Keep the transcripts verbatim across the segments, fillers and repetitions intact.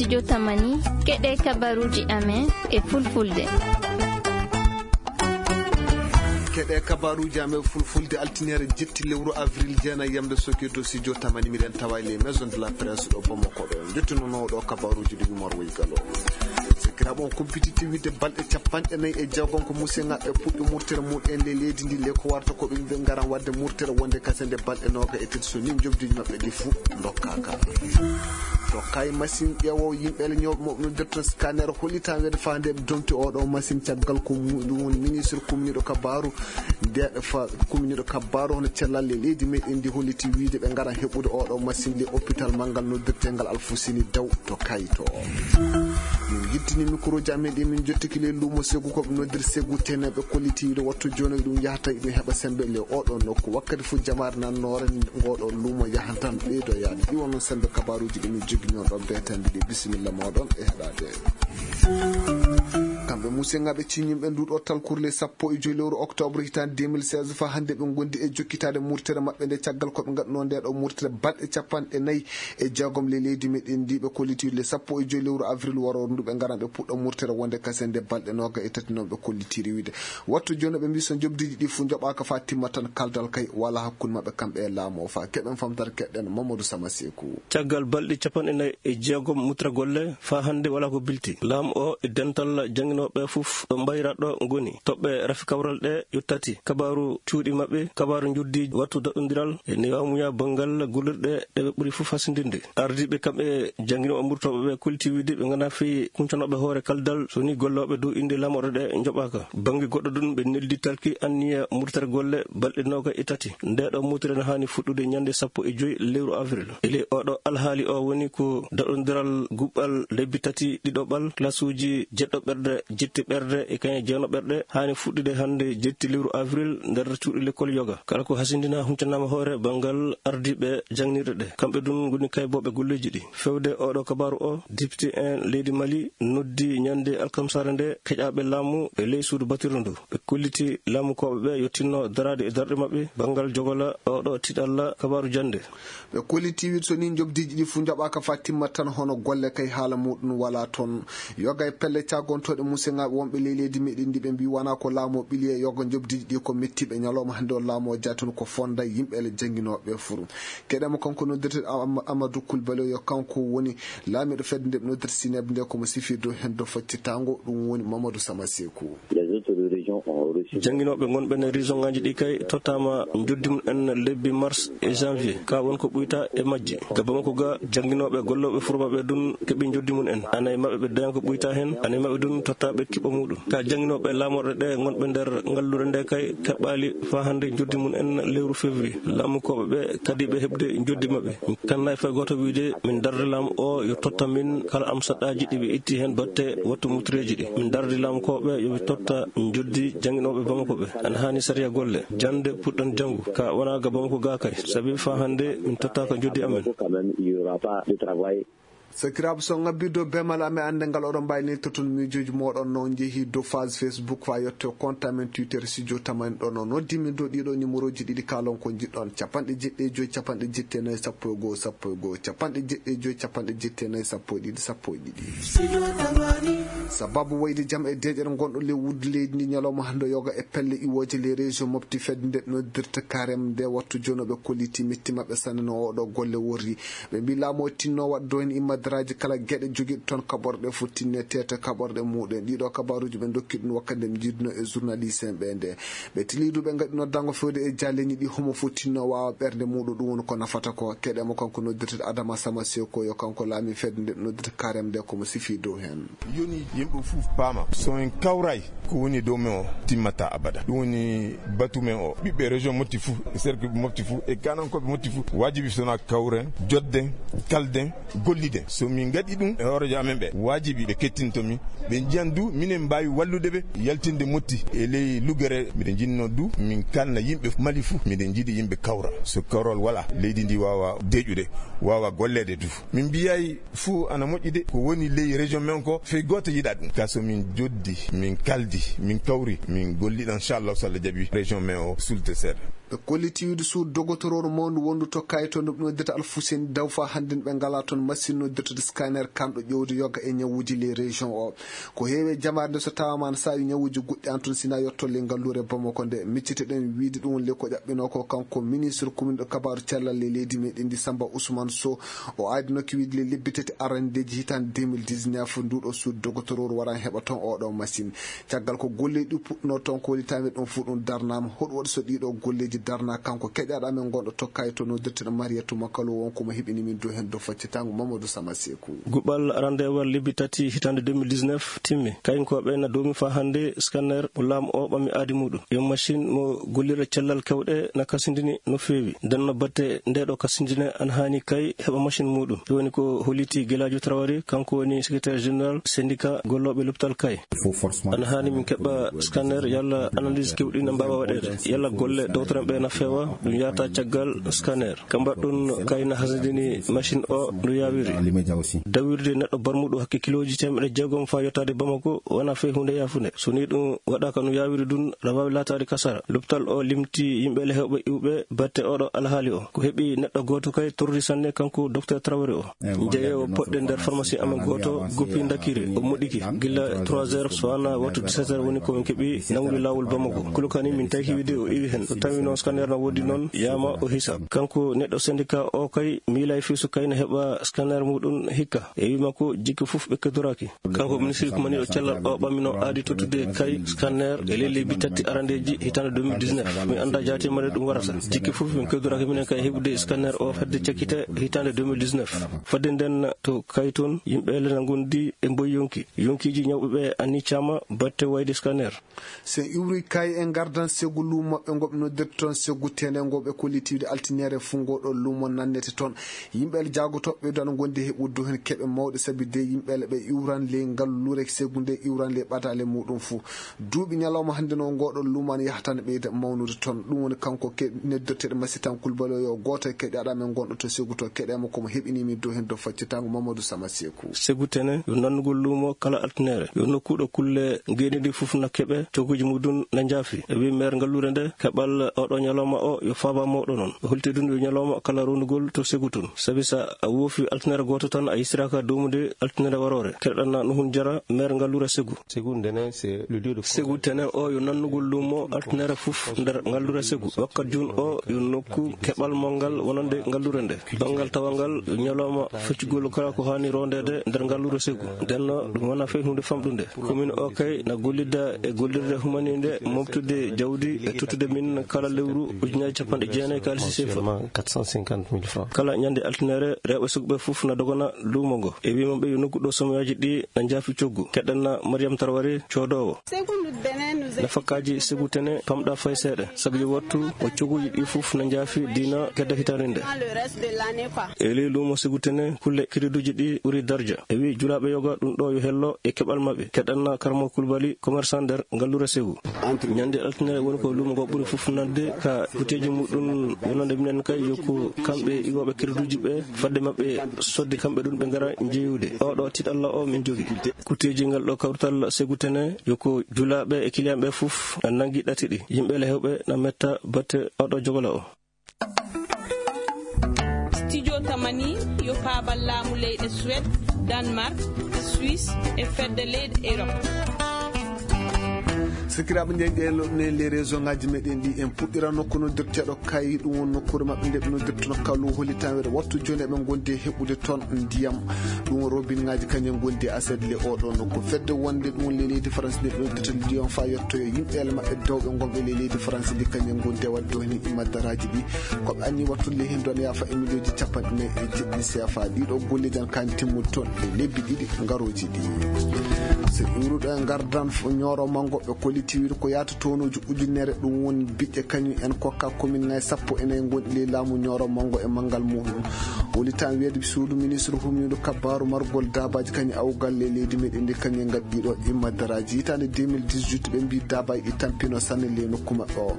Jotamani, keɗe kabaruuji amen e fulfulde. Keɗe kabaruuji amen fulfulde, altiniere jetti lewru avril jeenayi, yamde Soketo si Jotamani, miɗen tawa e les maisons de la presse ɗo Bamako ɗo. Jottinono ɗo kabaruuji ɗi Umar Woy Galo. Sikiraɓe, on kumpititti wiide balɗe capanɗe nayi e jeegom ko musengaɓe puɗɗi murtere muɗen le leydi ndi, le ko warta ko ɓe mbiɓe ngaran wadde murtere wonde kase nde balɗe nooga e tati so ni njobdiji maɓɓe ɗi fuu ndokkaaka. Tokkayi machine ƴeewowo yimɓe le ñooɓe mo noddirta scanner hollita weede fa nde ɓe domti oɗo machine caggal ko mu-, ɗum woni ministre kumniɗo kabaru nde fa kumniɗo kabaru hono cellal le leydi meɗen ndi holliti wiide ɓe ngaran heɓude oɗo machine le hôpital manngal noddirtengal Alfuseni Daw to Kayto. Min jittini microji amen ɗi min jottiki le luumo Segu ko ɓe noddir Segu tene ɓe kolliti wiide wattu jooni ɗum yahata ɗum heɓa sembe le oɗo nokku wakkati fu jamaare nannoore ngoɗo luumo yahantan ɓeydo yaade ɗi wonno sembe kabaruji ɗi min jogino ɗo betande ɗi bisimilla moɗon e heɗade. Kamɓe musengaɓe ciñimɓe nduɗo talkurle sappo e joyi lewru octobre hitande deux mille seize fa hande ɓe gondi e jokkitade murtere maɓɓe nde caggal koɓe gaɗuno nde ɗo murtere balɗe capanɗe nayi e jeegom le leydi meɗen ndi ɓe kollitiri le sappo e joyi lewru avril waro ndu ɓe garan ɓe puɗɗo murtere wonde kasen nde balɗe noga e tati noon ɓe kollitiri wiide wattu joni ɓe mbi so jobdiji ɗi fuu joɓaka fa timma tan kaldal kay wala hakkunde maɓɓe kamɓe e laamu o fa keɗen famtata keɗen Mamadou Sama Seku. Caggal balɗe capanɗe nayi e jeegom mutra golle fa hande wala ko bilti laamu o e dental janginoɓe fof ɗo mbayra ɗo goni toɓɓe rafi kawral ɗe ƴettati kabaru cuuɗi maɓɓe kabaru juddi wattu daɗɗodiral e newamuya banngal gollirɗe ɗe ɓe ɓuri fof hasindinde. Ardiiɓe kamɓe jannginooɓe murtooɓe ɓe kolti wiide ɓe nganndaa fii kuncanoɓe hoore kaldal so ni gollooɓe dow innde laamorɗe ɗe njoɓaaka. Bannge goɗɗo ɗum ɓe neldi talki anniya murtere golle balɗe nooga e tati. Nde ɗo murtere no haani fuɗɗude ñannde sappo e joy lewru avril. E ley oɗo alhaali o woni ko daɗondiral guɓɓal lebbi tati ɗiɗoɓal, klasuuji jeɗɗo ɓerɗe, jetti ɓerɗe e kañe jeeno ɓerɗe haani fuɗɗude hannde jetti lewru avril nder cuuɗi lekkol yoga. Kala ko hasindina huncanaama hoore banngal ardiiɓe jaŋnirɗe ɗe. Kamɓe ɗum ngoni kaybooɓe golleeji ɗi. Fewde oɗo kabaaru o, dipti en leydi Mali noddi ñande alkamsare nde keƴaaɓe laamu e ley suudu batirdu ndu. Ɓe kolliti laamukooɓe ɓe yo tinno daraade e darɗe maɓɓe banngal jogola oɗo tiɗalla kabaaru jannde. Ɓe kolliti wiide so ni njoɓdiiji ɗi fuu njaɓaaka fa timmat tan hono golle kay haala muɗum wala toon. Yoga e pelle caggontooɗe museŋaaɓe wonɓe ley leydi meɗen ndi ɓe mbi wona ko laamu o ɓili e yoga njoɓdiiji ɗi ko mettiiɓe ñalawma hannde o laamu o jaa toon ko fonda yimɓe ele jannginooɓe furu. Keɗema kanko noddirte Am-, Amadou Coulibaly o yo kanko woni laamiiɗo fedde nde ɓe noddirta Sineb nde ko mo sifir dow heen dow faccitango ɗum woni Mamadou Sama Seku. Jannginooɓe ngonɓe nder région ŋaaji ɗi kay tottaama njoddi mum en lebbi mars e janvier. Ka won ko ɓuyta e majji. Ka Bamako ga, jannginooɓe gollooɓe furba ɓe ɗum keɓi njoddi mum en. Ana e maɓɓe ɓe daña ko ɓuyta heen, ana e maɓɓe ɗum tottaaɓe kiɓɓo muɗum. Ka jannginooɓe laamorɗe ɗe ngonɓe nder ngalluure nde kay keɓɓaali faa hannde njoddi mum en lewru février. Laamukooɓe ɓe kadi ɓe heɓde njoddi maɓɓe. Kannaay fay gooto wiide min darde laamu o yo totta min kala am saɗɗaaji ɗi ɓe itti heen batte wattu mutreeji ɗi. Min darde laamukooɓe yo ɓe totta njoddi jannginooɓe Bamako ɓe. Ana haani sariya golle. Jannde puɗɗan janngu. Ka wona ga Bamako ga kay. Sabi faa hannde min tottaaka njoddi amen. Sakiraaɓe, so ngabbirde bemal amen annde ngal, oɗon mbaawi neltoton miijooji mooɗon no njehi dow page Facebook, faa yetto compte amen Twitter, Studio Tamani ɗon no noddi min dow ɗiɗo numéroji ɗiɗi, kaalon ko njiɗɗon, capanɗe jeɗɗi e joy, capanɗe jeɗɗi e nayi, sappo e go'o, sappo e go'o, capanɗe jeɗɗi e joy, capanɗe jeɗɗi e nayi, sappo e ɗiɗi, sappo e ɗiɗi. Sababu wayde jam e deeƴere ngonɗo ley wuddu leydi ndi ñalawma hannde yoga e pelle iwooje ley région Mopti fedde nde noddirta Karem nde wattu jono ɓe kolliti metti maɓɓe sanne no oɗo golle worri. Ɓe mbi laamu o tinno waɗa dow heen immadaraaji kala geɗe jogiiɗe toon kaɓorɗe fof tinne teeta kaɓorɗe muɗum en. Ɗiɗo kabaaruuji ɓe ndokki ɗum wakkati nde ɓe njiiduno e journaliste en ɓe nde. Ɓe tili du ɓe ngaɗi noddango fewde e jaalleeñi ɗi homo fof tinno waawa ɓernde muɗum ɗum woni ko nafata ko. Keɗema kanko noddirte Adama Sama Seko yo kanko laami fedde nde noddirta Karem nde komo sifi dow heen. Yoni yimɓe fof paama. So en kawray ko woni dow men o timmata abada. Ɗum woni batu men o. Ɓiɓɓe région Mopti fof, e cercle Mopti fof, e kanankooɓe Mopti fof, waajibi so wonaa kawren, jodden, kalden, golliden. So min ngaɗi ɗum e hooreejo amen ɓe, waajibi ɓe kettinto min. Ɓe njiyan du, minen mbaawi wallude ɓe, yaltinde Mopti e ley luggere. Miɗen njinnoo du, min kalna yimɓe Mali fof, miɗen njiɗi yimɓe kawra. So kawral walaa, leydi ndi waawa deeƴude, waawa golleede du. Min mbiyaay fuu ana moƴƴi de, ko woni ley région men ko, fey gooto yiɗa ɗum. Ka so min joddi, min kaldi, min kawri, min golliɗan, inchallah, so Allah jaɓi, région men o sulte seeɗa. Ɓe kolliti wiide suudu dogotororu mawndu wondu to Kayto, ndu ɓe noddata Alfuseni Daw, faa hannden ɓe ngalaa toon machine no Docteur scanner kanɗo ƴewde yoga e ñawuuji les régions o. Ko heewi e jamaare nde so tawaama ne saawi ñawuuji goɗɗi an tun sina yotto le ngalluure Bamako nde. Miccite ɗen wiide ɗum le ko ƴaɓɓinoo ko kanko ministre commune ɗo kabaaru cellal le leydi meɗen ndi Samba Ousmane Sow. O aadinoo ki wiide le lebbi tati arandeeji hitaande deux mille dix-neuf nduɗo suudu dogotororu waran heɓa toon oɗo machine. Caggal ko golleeji ɗi puɗɗunoo toon ko woni tawi ɗum fof ɗum darnaama. Hoɗum waɗi so ɗiɗo golleeji darnaa kanko keƴaɗo amen gonɗo tokkayi to noddirteɗo Mariyatu Makalo wonko mo heɓini min dow heen dow faccitango Mamadou Sama Seku. Guɓal arandewal lebbi tati hitaande deux mille dix-neuf timmi. Kayinkooɓe na doomi faa hannde scanner mo laamu o ɓammi aadi muɗum. Yo machine mo gollirɗe cellal kewɗe na kasindini no feewi. Nden no batte nde ɗo kasindine ana haani kay heɓa machine muɗum. Ɗum woni ko holliti Gelaajo Traoré, kanko woni secrétaire général syndicat gollooɓe lopital kay. Ana haani min keɓa scanner yalla analyse kewɗi na mbaawa waɗeede. Yalla golle dowtoren ɓe na feewa, ɗum yaata caggal scanner. Ka mbaɗɗun kay na hasindini machine o no yaawiri. Dawirde neɗɗo barmuɗo hakke kilooji teemeɗe jeegom faa yottaade Bamako wona fey huunde yaafunde. So ni ɗum waɗaaka no yaawiri ɗum, na waawi laataade kasara. Lopital o limti yimɓe le hewɓe iwɓe batte oɗo alhaali o. Ko heɓi neɗɗo gooto kay torri sanne kanko docteur Traoré o. Jeyewo poɗɗe nder pharmacie amen gooto goppi ndakiri o moɗɗiki gila trois heures so wana wattu dix-sept heures woni ko min keɓi nangude laawol Bamako. Kulukani min tawki wiide o iwi heen. O tawi noon scanner na woodi noon yaama o hisa. Kanko neɗɗo syndicat o kay miila e fii so kay na heɓa scanner muɗum hikka. E wii makko jikki fof ɓe keddoraaki. Kanko ministre kumaniiɗo cellal o ɓamino aadi tottude kay scanner e ley lebbi tati arandeeji hitaande deux mille dix-neuf. Mi annda jaati mane ɗum warata. Jikki fof min keddoraaki minen kay heɓude scanner o fedde cakkite hitaande deux mille dix-neuf. Fadde nden to kay toon yimɓe le na ngondi e mboy yonki. Yonkiiji ñawɓe ɓe anni caama batte wayde scanner. So en iwri kay en ngardan segu luumo maɓɓe ngo ɓe noddirta toon segu tene ngo ɓe kollitiiwde altiniere fuu ngo ɗo luumo nannete toon. Yimɓe le jaagotooɓe ɓe ɗo ana ngondi heɓude heen keɓe mawɗe sabi de yimɓe le ɓe iwran le ngalluure segu nde iwran le ɓadaale muɗum fuu. Duuɓi ñalawma hannde no ngo ɗo luumo ana yahata ana ɓeyda mawnude toon. Ɗum woni kanko ke-, noddirteeɗo masitan kulbalo yo gooto e keɗaaɗo amen gonɗo to segu to keɗeema ko mo heɓini min dow heen dow faccitango Mamadou Sama Seku. Segu tene yo nannugol luumo kala altiniere. Yo nokku ɗo kulle ngeenndi fof na keɓe, cogguuji muɗum na njaafi. E wi maire ngalluure nde, keɓal oɗo ñalawma o yo faaba mawɗo noon. O holti ɗum yo ñalawma kala rondugol to segu tun. Sabi so a woofi altiniere gooto tan a yisiraaka dowmude altiniere waroore. Keɗoɗon na Nuhun Jara, maire ngalluure segu. Segu tene o yo nannugol luumo altiniere fof nder ngalluure segu. Wakkat juun o yo nokku keɓal mawgal wonande ngalluure nde. Banngal tawal ngal yo ñalawma feccugol kala ko haani rondeede nder ngalluure segu. Nden no ɗum wona fey huunde famɗunde. Commune o kay na gollida e gollirde humaniinde, moftude jawdi e tottude min kala lewru ujunaaji capanɗe jeenayi kaalisi sefa. Kala ñande altiniere rewɓe sukɓe fof na dogana luumo ngo. E wii maɓɓe yo nokku ɗo somoyaaji ɗi na njaafi coggu. Keɗen na Mariam Traoré coodoowo. Nafakkaaji segu tene pamɗa fay seeɗa. Sabu yo wattu o coguuji ɗi fof na njaafi diina kedda hitaande nde. E ley luumo segu tene kulle kiriduuji ɗi ɓuri darja. E wii julaaɓe yoga ɗum ɗo yo hello e keɓal maɓɓe. Keɗen na Karamo Kulbali, commerçant nder ngalluure segu. Ñande altiniere woni ko luumo ngo ɓuri fof nande ka kuteeji muɗum wonande minen kay yo ko kamɓe iwooɓe crédit uji ɓe fadde maɓɓe sodde kamɓe ɗum ɓe ngara jeeyude. Oɗo tiɗalla o min jogi. Kuteeji ngal ɗo kawrital segu tene yo ko julaaɓe e client ɓe fof na nangi ɗati ɗi. Yimɓe le hewɓe na metta batte oɗo jogola o. Studio Tamani yo paabal laamu leyɗe Suède, Danemark, Suisse e fedde leyɗe Europe. Sakiraaɓe, nde ɗen loɗɗunen les région ngaji meɗen ɗi, en puɗɗira nokku noddirteeɗo Kay, ɗum won nokkuure maɓɓe nde ɓe noddirtono Kalu, hollitan weɗo wattu jooni eɓe ngondi e heɓude toon ndiyam. Ɗum won robin ngaji kañum ngondi e aset le oɗo nokku. Fedde wonde ɗum won le leydi France nde ɓe noddirta Lyon fa yettoyo yimɓe ele maɓɓe dewɓe ngonɓe le leydi France ndi kañum ngondi e wadde ɗo heen imaddaraaji ɗi. Ko ɓe anni wattude le heen ɗon yaafa e miliyonji capanɗe nayi e jeɗɗi C F A. Ɗiɗo golleeji ana kaani timmude toon e lebbi ɗiɗi ngarooji ɗi. So iwruɗo e ngardan f-, ñooro manngo ɓe kolliti wiide ko yaata tonuuji ujunere ɗum woni biƴƴe kañum en kokka commune ngaji sappo e nayi ngonɗi ley laamu ñooro manngo e manngal muɗum. Woni tan weedu suudu ministre humniiɗo kabbaaru margol daabaaji kañum awgal ley leydi meɗen ndi kañum ngaddi ɗo imaddaraaji. Hitaande deux mille dix-huit ɓe mbi daabaaji ɗi tampino sanne ley nokku maɓɓe o.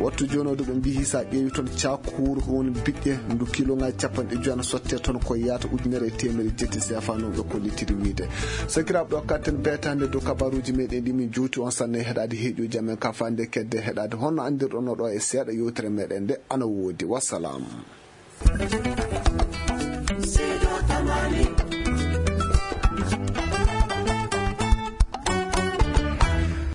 Wattu jooni o ɗo ɓe mbi hisa ƴeewi toon caakuuru ɗum woni biƴƴe ndu kilo ngaji capanɗe joyi ana sotte toon ko yaata ujunere e teemedde jetti C F A no ɓe kollitiri wiide. Sakiraaɓe ɗo katten beetaande dow kabaruuji meɗen ɗi min juuti on sanne heɗaade heeƴuuji amen ka faande kedde heɗaade honno anndirɗon no ɗo e seeɗa yewtere meɗen nde ana woodi. Wassalam.